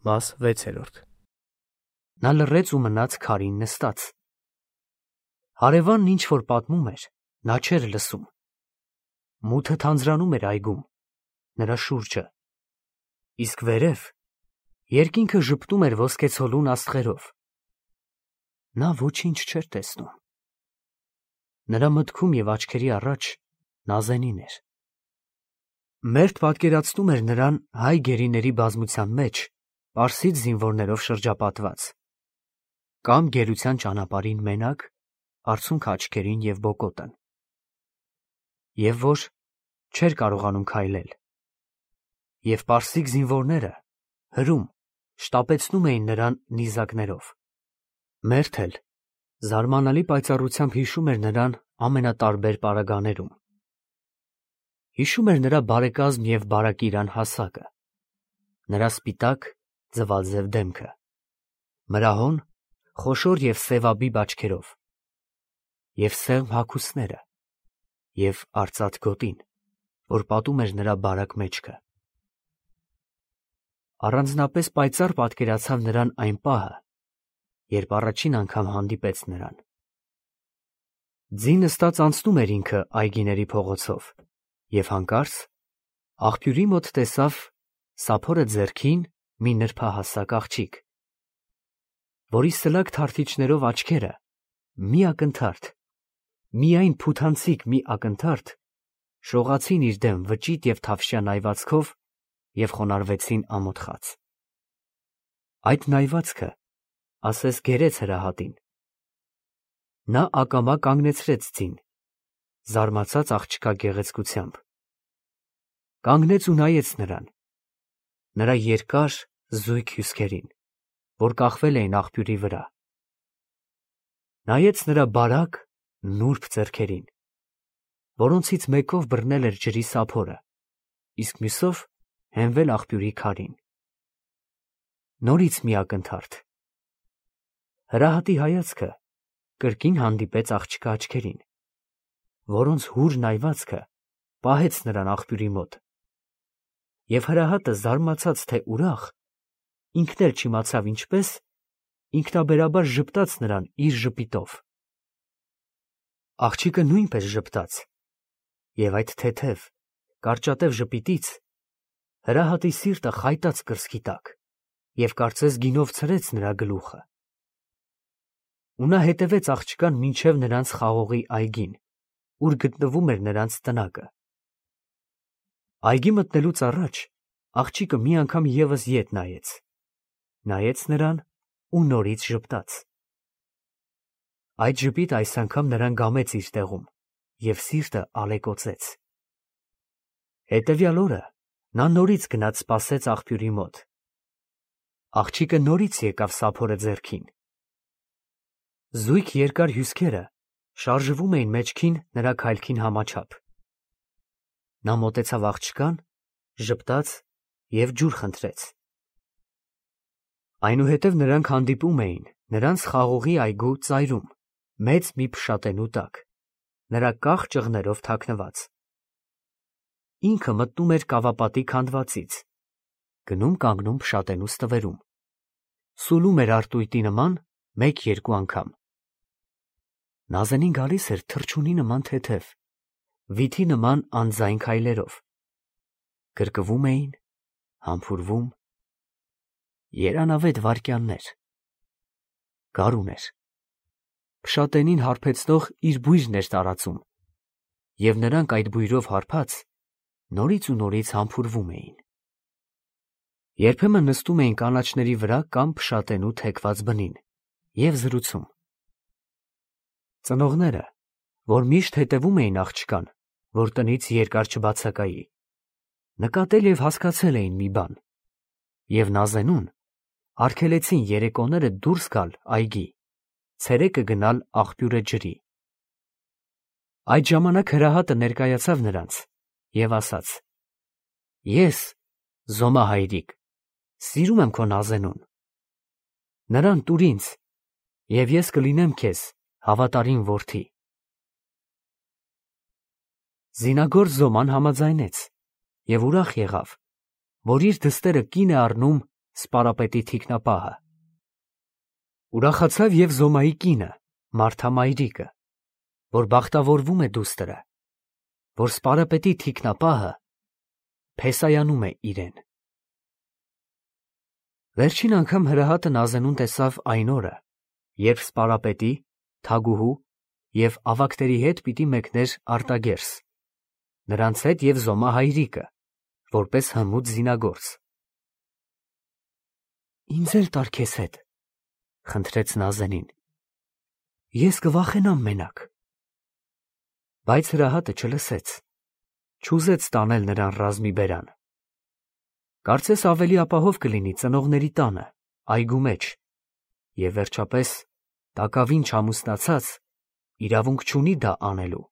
Մաս 6. Նա լռեց ու մնաց քարին նստած։ Հարևանն ինչ որ պատմում էր, նա չէր լսում։ Մութը թանձրանում էր այգում, նրա շուրջը, իսկ վերև երկինքը ժպտում էր ոսկեցոլուն աստղերով։ Նա ոչինչ չէր տեսնում։ Նրա մտքում և աչքերի առաջ Նազենին էր։ Մերթ պատկերացնում էր նրան հայ գերիների բազմության մեջ, պարսից զինվորներով շրջապատված, կամ գերության ճանապարհին մենակ, արցունք աչքերին և բոկոտն, և որ չէր կարողանում քայլել, և պարսիկ զինվորները հրում շտապեցնում էին նրան նիզակներով։ Մերթ էլ զարմանալի պայծառությամբ հիշում էր նրան ամենատարբեր պարագաներում։ Հիշում էր նրա բարեկազմ և բարակիրան հասակը, նրա սպիտակ ձվաձև դեմքը, մրահոն, խոշոր և սևաբիբ աչքերով, և սեղմ հագուստները, և արծաթ գոտին, որ պատում էր նրա բարակ մեջքը։ Առանձնապես պայծառ պատկերացավ նրան այն պահը, երբ առաջին անգամ հանդիպեց նրան։ Ձի նստած անցնում էր ինքը այգիների փողոցով և հանկարծ աղբյուրի մոտ տեսավ սափորը ձեռքին մի նրբահասակ աղջիկ, որի սլակ թարթիչներով աչքերը մի ակնթարթ, միայն փութանցիկ մի ակնթարթ շողացին իր դեմ վճիտ և թավշյա նայվածքով և խոնարհվեցին ամոթխած։ Այդ նայվածքը ասես գերեց հրահատին։ Նա ակամա կանգնեցրեց ձին, զարմացած աղջկա գեղեցկությամբ։ Կանգնեց ու նայեց նրան, նրա երկար զույգ հյուսքերին, որ կախվել էին աղբյուրի վրա։ Նայեց նրա բարակ, նուրբ ձեռքերին, որոնցից մեկով բռնել էր ջրի սափորը, իսկ մյուսով հենվել աղբյուրի քարին։ Նորից մի ակնթարթ։ Հրահատի հայացքը կրկին հանդիպեց աղջկա աչքերին, որոնց հուր նայվածքը պահեց նրան աղբյուրի մոտ, և հրահատը զարմացած թե ուրախ, ինքն էլ չիմացավ ինչպես, ինքնաբերաբար ժպտաց նրան իր ժպիտով։ Աղջիկը նույնպես ժպտաց, և այդ թեթև, կարճատև ժպիտից հրահատի սիրտը խայտաց կրծքի տակ և կարծես գինով ցրեց նրա գլուխը։ Ու նա հետևեց աղջկան մինչև նրանց խաղողի այգին, ուր գտնվում էր նրանց տնակը։ Այգի մտնելուց առաջ աղջիկը մի անգամ ևս ետ նայեց նրան ու նորից ժպտաց։ Այդ ժպիտը այս անգամ նրան գամեց իր տեղում և սիրտը ալեկոծեց։ Հետևյալ օրը նա նորից գնաց սպասեց աղբյուրի մոտ։ Աղջիկը նորից եկավ սափորը ձեռքին։ Զույգ երկար հյուսքերը շարժվում էին մեջքին նրա քայլքին համաչափ։ Նա մոտեցավ աղջկան, ժպտաց և ջուր խնդրեց։ Այնուհետև նրանք հանդիպում էին նրանց խաղողի այգու ծայրում, մեծ մի փշատենու տակ, նրա կախ ճղներով թաքնված։ Ինքը մտնում էր կավապատի քանդվածից, գնում կանգնում փշատենու ստվերում, սուլում էր արտույտի նման մեկ-երկու անգամ։ Նազենին գալիս էր թռչունի նման թեթև, վիթի նման անձայն քայլերով։ Գրկվում էին, համբուրվում, երանավետ վայրկյաններ։ Գարուն էր։ Փշատենին հարբեցնող իր բույրն էր տարածում, և նրանք այդ բույրով հարբած նորից ու նորից համբուրվում էին։ Երբեմն նստում էին կանաչների վրա կամ փշատենու թեքված բնին և զրուցում։ Ծնողները, որ միշտ հետևում էին աղջկան, որ տնից երկար չբացակայի, նկատել և հասկացել էին մի բան, և Նազենուն արգելեցին երեկոները դուրս գալ այգի, ցերեկը գնալ աղբյուրը ջրի։ Այդ ժամանակ հրահատը ներկայացավ նրանց և ասաց. «Ես, Զոմա հայրիկ, սիրում եմ քո Նազենուն. նրան տուր ինձ, և ես կլինեմ քեզ հավատարիմ որդի»։ Զինագործ Զոման համաձայնեց և ուրախ եղավ, որ իր դստերը կին է առնում սպարապետի թիկնապահը։ Ուրախացավ և Զոմայի կինը, Մարթա մայրիկը, որ բախտավորվում է դուստրը, որ սպարապետի թիկնապահը փեսայանում է իրեն։ Վերջին անգամ Հրահատը Նազենուն տեսավ այն օրը, երբ սպարապետի, թագուհու և ավագների հետ պիտի մեկներ արտագերս, նրանց հետ և Զոմա հայրիկը, որպես հմուտ զինագործ։ Ինձ էլ տար քեզ հետ, խնդրեց Նազենին, ես կվախենամ մենակ։ Բայց Հրահատը չլսեց, չուզեց տանել նրան ռազմի բերան։ Կարծես ավելի ապահով կլինի ծնողների տանը, այգու մեջ, և վերջապես տակավին չամուսնացած իրավունք չունի դա անելու։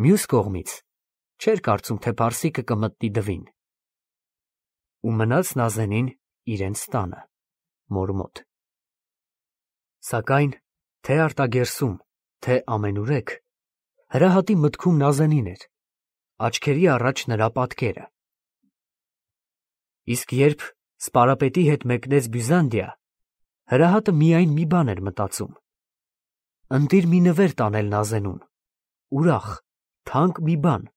Մյուս կողմից չէր կարծում, թե Պարսիկը կմտնի դվին։ Ու մնաց Նազենին իրենց տանը, մոր մոտ։ Սակայն թե արտագերսում, թե ամենուրեք, Հրահատի մտքում Նազենին էր, աչքերի առաջ նրա պատկերը։ Իսկ երբ սպարապետի հետ մեկնեց Բյուզանդիա, Հրահատը միայն մի բան էր մտածում. ընտիր մի նվեր տանել Նազենուն, ուրախ, թանկ մի բան,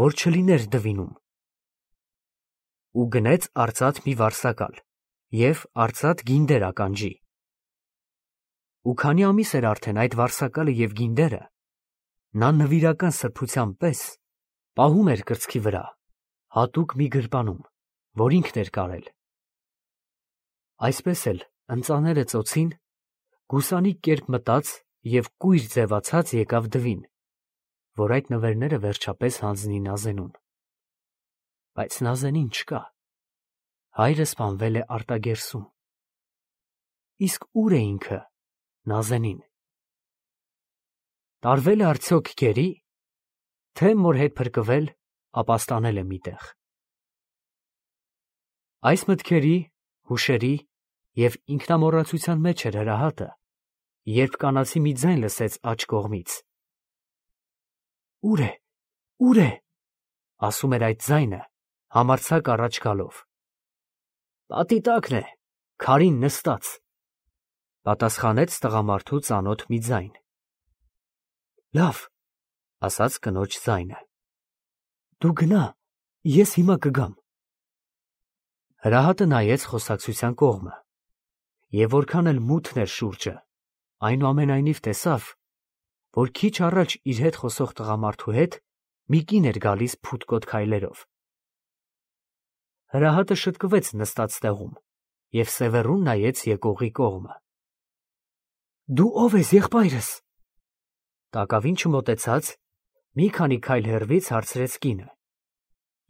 որ չլիներ դվինում։ Ու գնեց արծաթ մի վարսակալ և արծաթ գինդեր ականջի։ Ու քանի ամիս էր արդեն այդ վարսակալը և գինդերը, նա նվիրական սրբության պես պահում էր կրծքի վրա, հատուկ մի գրպանում, որ ինքն էր կարել։ Այսպես էլ ընծաները ծոցին, գուսանիկ կերպ մտած և կույր ձևացած եկավ դվին, որ այդ նվերները վերջապես հանձնի Նազենուն։ Բայց Նազենին չկա, հայրը սպանվել է արտագերսում։ Իսկ ուր է ինքը, Նազենին։ Տարվե՞լ է արդյոք գերի, թե մոր հետ փրկվել, ապաստանել է միտեղ։ Այս մտքերի, հուշերի և ինքնամոռացության մեջ էր Հրահատը, երբ կանացի մի ձայն լսեց աջ կողմից։ Ուր է, ուր է, ասում էր այդ ձայնը, համարձակ առաջ գալով։ Պատի տակն է, քարին նստած, պատասխանեց տղամարդու ծանոթ մի ձայն։ Լավ, ասաց կնոջ ձայնը, դու գնա, ես հիմա կգամ։ Հրահատը նայեց խոսակցության կողմը, և որքան էլ մութն էր շուրջը, այնուամենայնիվ տեսավ, որ քիչ առաջ իր հետ խոսող տղամարդու հետ մի կին էր գալիս փութկոտ քայլերով։ Հրահատը շտկվեց նստած տեղում և սևեռուն նայեց եկողի կողմը։ Դու ո՞վ ես, եղբայրս։ Տակավին չմոտեցած, մի քանի քայլ հեռվից հարցրեց կինը,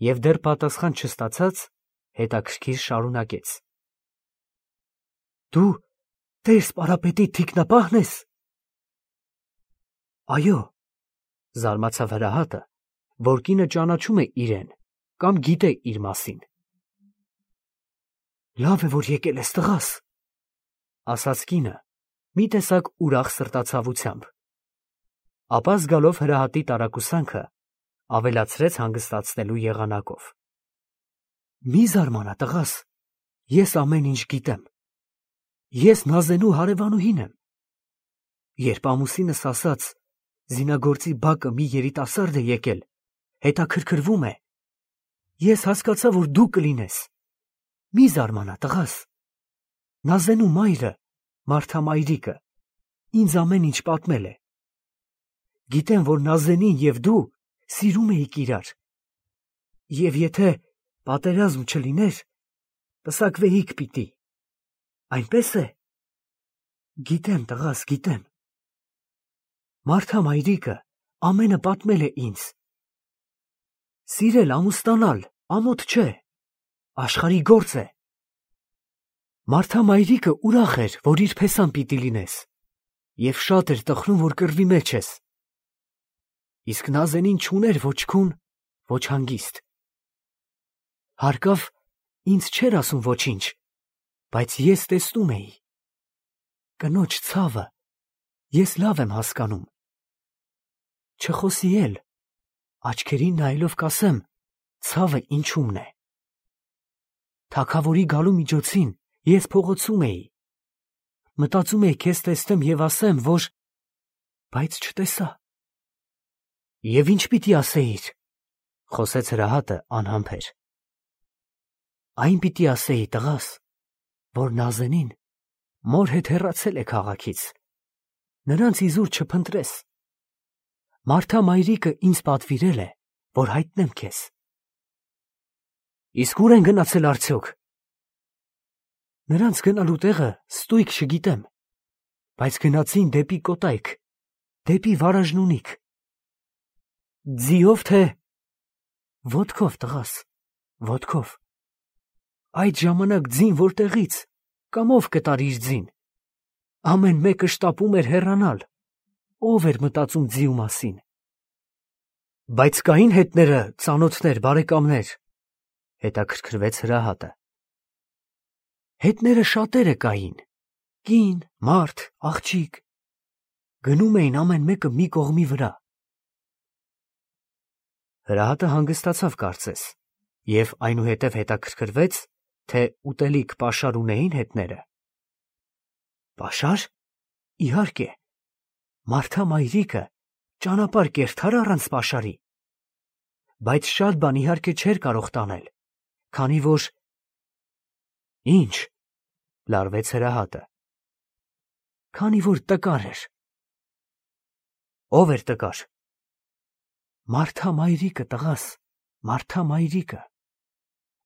և դեռ պատասխան չստացած, հետաքրքիր շարունակեց. Դու Տեր սպարապետի թիկնապահն ես։ Այո, զարմացավ Հրահատը, որ կինը ճանաչում է իրեն կամ գիտե իր մասին։ Լավ է, որ եկել ես, տղաս, ասաց կինը, մի տեսակ ուրախ սրտացավությամբ։ Ապա զգալով Հրահատի տարակուսանքը, ավելացրեց հանգստացնելու եղանակով. Մի զարմանա, տղաս, ես ամեն ինչ գիտեմ։ Ես Նազենու հարևանուհին եմ։ Երբ ամուսինս ասաց, զինագործի բակը մի երիտասարդ է եկել, հետաքրքրվում է, ես հասկացա, որ դու կլինես։ Մի զարմանա, տղաս։ Նազենու մայրը, Մարթա մայրիկը, ինձ ամեն ինչ պատմել է։ Գիտեմ, որ Նազենին և դու սիրում էիք իրար։ Եվ եթե պատերազմ չլիներ, պսակվեիք պիտի։ Այնպես է։ Գիտեմ, տղաս, գիտեմ։ Մարթա մայրիկը ամենը պատմել է ինձ։ Սիրել, ամուսնանալ, ամոթ չէ, աշխարհի գործ է։ Մարթա մայրիկը ուրախ էր, որ իր փեսան պիտի լինես, և շատ էր տխրում, որ կռվի մեջ ես։ Իսկ Նազենին չուներ ոչ քուն, ոչ հանգիստ։ Հարկավ, ինձ չէր ասում ոչինչ, բայց ես տեսնում էի։ Կնոջ ցավը ես լավ եմ հասկանում։ Չխոսի էլ, աչքերին նայելով կասեմ, ցավը ինչումն է։ Թագավորի գալու միջոցին ես փողոցում էի։ Մտածում էի քեզ տեսնեմ եւ ասեմ, որ… Բայց չտեսա։ Եվ ինչ պիտի ասեիր, խոսեց հրահատը անհամբեր։ Այն պիտի ասեի, տղաս, որ Նազենին մոր հետ հեռացել է քաղաքից, նրանց իզուր չփնտրես։ Մարթա մայրիկը ինձ պատվիրել է, որ հայտնեմ քեզ։ Իսկ ուր են գնացել արդյոք։ Նրանց գնալու տեղը ստույգ չգիտեմ, բայց գնացին դեպի Կոտայք, դեպի Վարաժնունիք։ Ձիով թե… Ոտքով, տղաս, ոտքով։ Այդ ժամանակ ձին որտեղից, կամ ով կտար իր ձին։ Ամեն մեկը շտապում էր հեռանալ, ով էր մտածում ձիու մասին։ Բայց կային հետները, ծանոթներ, բարեկամներ, հետաքրքրվեց հրահատը։ Հետները շատերը կային, կին, մարդ, աղջիկ, գնում էին ամեն մեկը մի կողմի վրա։ Հրահատը հանգստացավ կարծես, և այնուհետև հետաքրքրվեց, թե ուտելիք պաշար ունեին հետները։ Պաշար, իհարկե, Մարթա մայրիկը ճանապարհ կերթար առանց պաշարի, բայց շատ բան իհարկե չէր կարող տանել, քանի որ… Ինչ, լարվեց հրահատը, քանի որ տկար էր։ Ով էր տկար։ Մարթա մայրիկը, տղաս, Մարթա մայրիկը։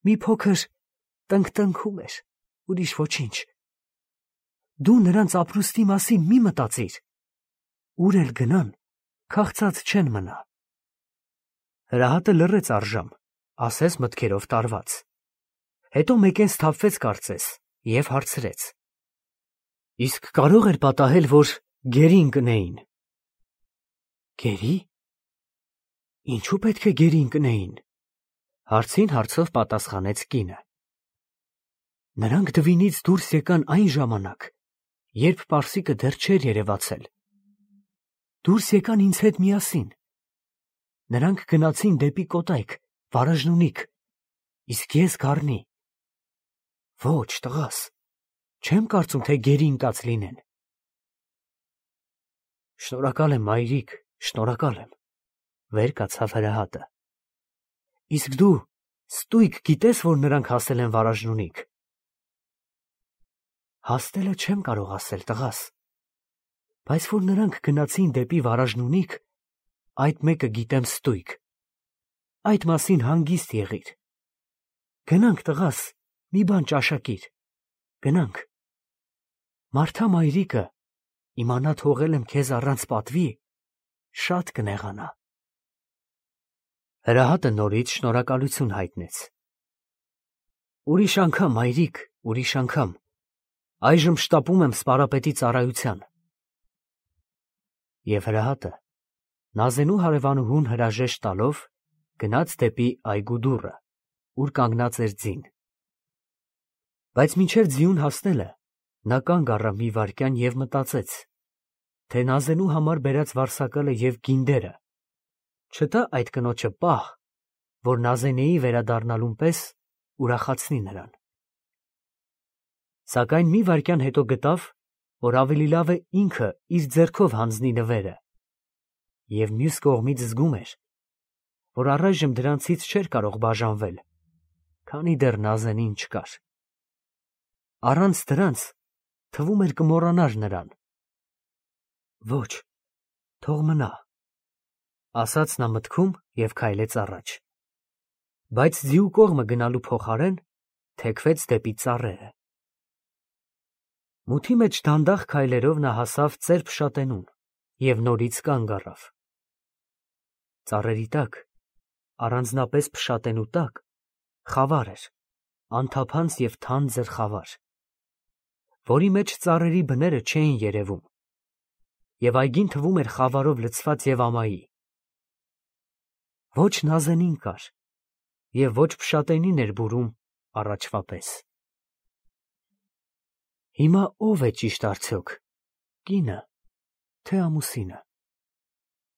Մի փոքր տնկտնքում էր, ուրիշ ոչինչ։ Դու նրանց ապրուստի մասին մի մտածիր, ուր էլ գնան, քաղցած չեն մնա։ Հրահատը լռեց առժամ, ասես մտքերով տարված։ Հետո մեկեն սթափվեց կարծես և հարցրեց. Իսկ կարող էր պատահել, որ գերին կնեին։ Գերի։ Ինչու պետք է գերին կնեին, հարցին հարցով պատասխանեց կինը։ Նրանք դվինից դուրս եկան այն ժամանակ, երբ պարսիկը դեռ չէր երևացել։ Դուրս եկան ինձ հետ միասին։ Նրանք գնացին դեպի Կոտայք, Վարաժնունիք, իսկ ես գառնի։ Ոչ, տղաս, չեմ կարծում, թե գերի ընկած լինեն։ Շնորհակալ եմ, մայրիկ, շնորհակալ եմ, վեր կացավ հրահատը։ Իսկ դու ստույգ գիտես, որ նրանք հասել են Վարաժնունիք։ Հասնելը չեմ կարող ասել, տղաս, բայց որ նրանք գնացին դեպի Վարաժնունիք, այդ մեկը գիտեմ ստույգ։ Այդ մասին հանգիստ եղիր։ Գնանք, տղաս, մի բան ճաշակիր, գնանք։ Մարթա մայրիկը, իմանա թողել եմ քեզ առանց պատվի, շատ կնեղանա։ Հրահատը նորից շնորհակալություն հայտնեց։ Ուրիշ անգամ, մայրիկ, ուրիշ անգամ։ Այժմ շտապում եմ սպարապետի ծառայության։ Եվ հրահատը, Նազենու հարևանուհուն հրաժեշտ տալով, գնաց դեպի այգու դուռը, ուր կանգնած էր ձին։ Բայց մինչև ձիուն հասնելը, նա կանգ առավ մի վայրկյան և մտածեց, թե Նազենու համար բերած վարսակալը և գինդերը չտա այդ կնոջը պահ, որ Նազենեի վերադառնալուն պես ուրախացնի նրան։ Սակայն մի վայրկյան հետո գտավ, որ ավելի լավ է ինքը իր ձեռքով հանձնի նվերը, և մյուս կողմից զգում էր, որ առայժմ դրանցից չէր կարող բաժանվել, քանի դեռ Նազենին չկար։ Առանց դրանց թվում էր կմոռանար նրան։ Ոչ, թող մնա, ասաց նա մտքում և քայլեց առաջ։ Բայց ձիու կողմը գնալու փոխարեն թեքվեց դեպի ծառերը։ Մութի մեջ դանդաղ քայլերով նա հասավ ծեր փշատենուն և նորից կանգ առավ։ Ծառերի տակ, առանձնապես փշատենու տակ, խավար էր, անթափանց և թանձր խավար, որի մեջ ծառերի բները չէին երևում, և այգին թվում էր խավարով լցված և ամայի։ Ոչ Նազենին կար, և ոչ փշատենին էր բուրում առաջվա պես։ Հիմա ո՞վ է ճիշտ արդյոք, կինը, թե ամուսինը,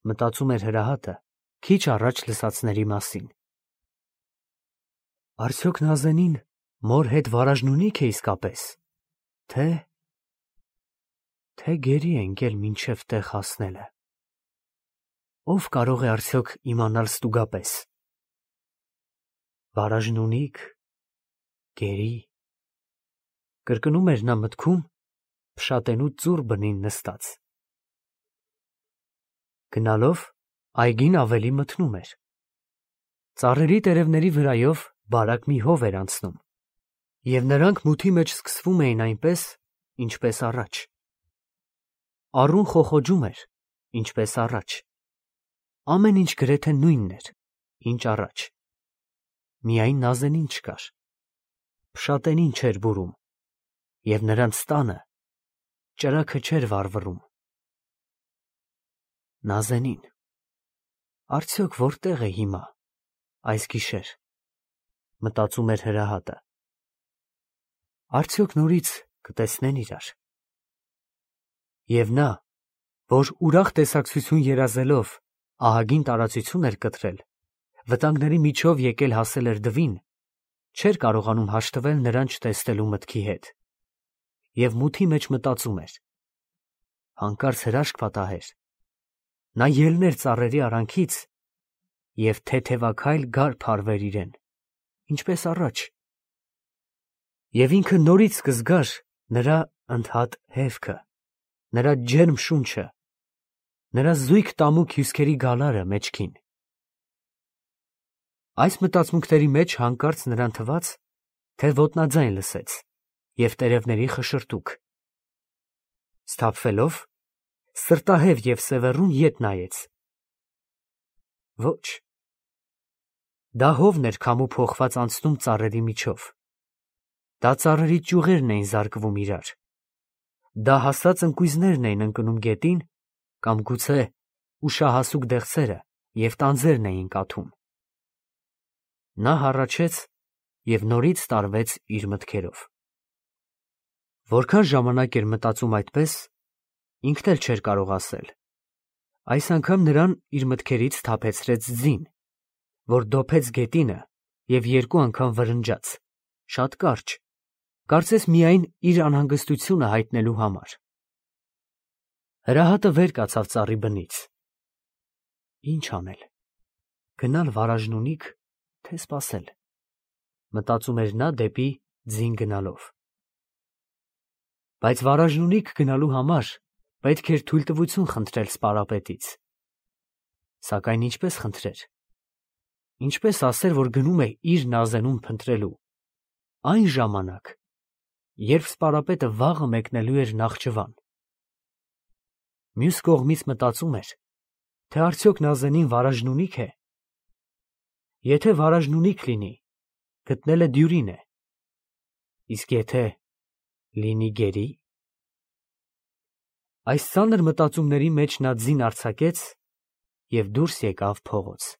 մտածում էր հրահատը քիչ առաջ լսածների մասին։ Արդյոք Նազենին Մոր հետ վարաժնունի՞ք է իսկապես, թե գերի է ընկել մինչև տեղ հասնելը։ Ով կարող է արդյոք իմանալ ստուգապես։ Վարաժնունի՞ք, գերի, կրկնում էր նա մտքում, փշատենու ծուռ բնին նստած։ Գնալով այգին ավելի մթնում էր։ Ծառերի տերևների վրայով բարակ մի հով էր անցնում, և նրանք մութի մեջ սկսվում էին այնպես, ինչպես առաջ։ Առուն խոխոջում էր, ինչպես առաջ։ Ամեն ինչ գրեթե նույնն էր, ինչ առաջ։ Միայն Նազենին չկար։ Փշատենին չէր բուրում, և նրանց տանը ճրագը չէր վառվռում։ Նազենին, արդյոք որտե՞ղ է հիմա, այս գիշեր, մտածում էր Հրահատը։ Արդյոք նորից կտեսնեն իրար։ Եվ նա, որ ուրախ տեսակցություն երազելով ահագին տարածություն էր կտրել, վտանգների միջով եկել հասել էր դվին, չէր կարողանում հաշտվել նրան չտեսնելու մտքի հետ, և մութի մեջ մտածում էր. հանկարծ հրաշք պատահեր, նա ելներ ծառերի արանքից և թեթևաքայլ գար փարվեր իրեն, ինչպես առաջ, և ինքը նորից կզգար նրա ընդհատ հևքը, նրա ջերմ շունչը, նրա զույգ տամուկ հյուսքերի գալարը մեջքին։ Այս մտածմունքների մեջ հանկարծ նրան թվաց, թե ոտնաձայն լսեց և տերևների խշշրտուք։ Սթափվելով, սրտահև և սևեռուն ետ նայեց։ Ոչ, դա հովն էր քամու փոխված անցնում ծառերի միջով։ Դա ծառերի ճյուղերն էին զարկվում իրար։ Դա հասած ընկույզներն էին ընկնում գետին, կամ գուցե ուշահասուկ դեղցերը և տանձերն էին կաթում։ Նա հառաչեց և նորից տարվեց իր մտքերով։ Որքան ժամանակ էր մտածում այդպես, ինքն էլ չէր կարող ասել։ Այս անգամ նրան իր մտքերից սթափեցրեց ձին, որ դոփեց գետինը և երկու անգամ վրնջաց, շատ կարճ, կարծես միայն իր անհանգստությունը հայտնելու համար։ Հրահատը վեր կացավ ծառի բնից։ Ինչ անել, գնալ վարաժնունի՞ք, թե սպասել, մտածում էր նա դեպի ձին գնալով։ Բայց վարաժնունիք գնալու համար պետք էր թույլտվություն խնդրել սպարապետից։ Սակայն ինչպես խնդրեր։ Ինչպես ասեր, որ գնում է իր Նազենուն փնտրելու, այն ժամանակ, երբ սպարապետը վաղը մեկնելու էր Նախճիվան։ Մյուս կողմից մտածում էր, թե արդյոք Նազենին վարաժնունի՞ք է։ Եթե վարաժնունիք լինի, գտնելը դյուրին է, իսկ եթե լինի գերի։ Այս ծանր մտածումների մեջ նա ձին արձակեց և դուրս եկավ փողոց։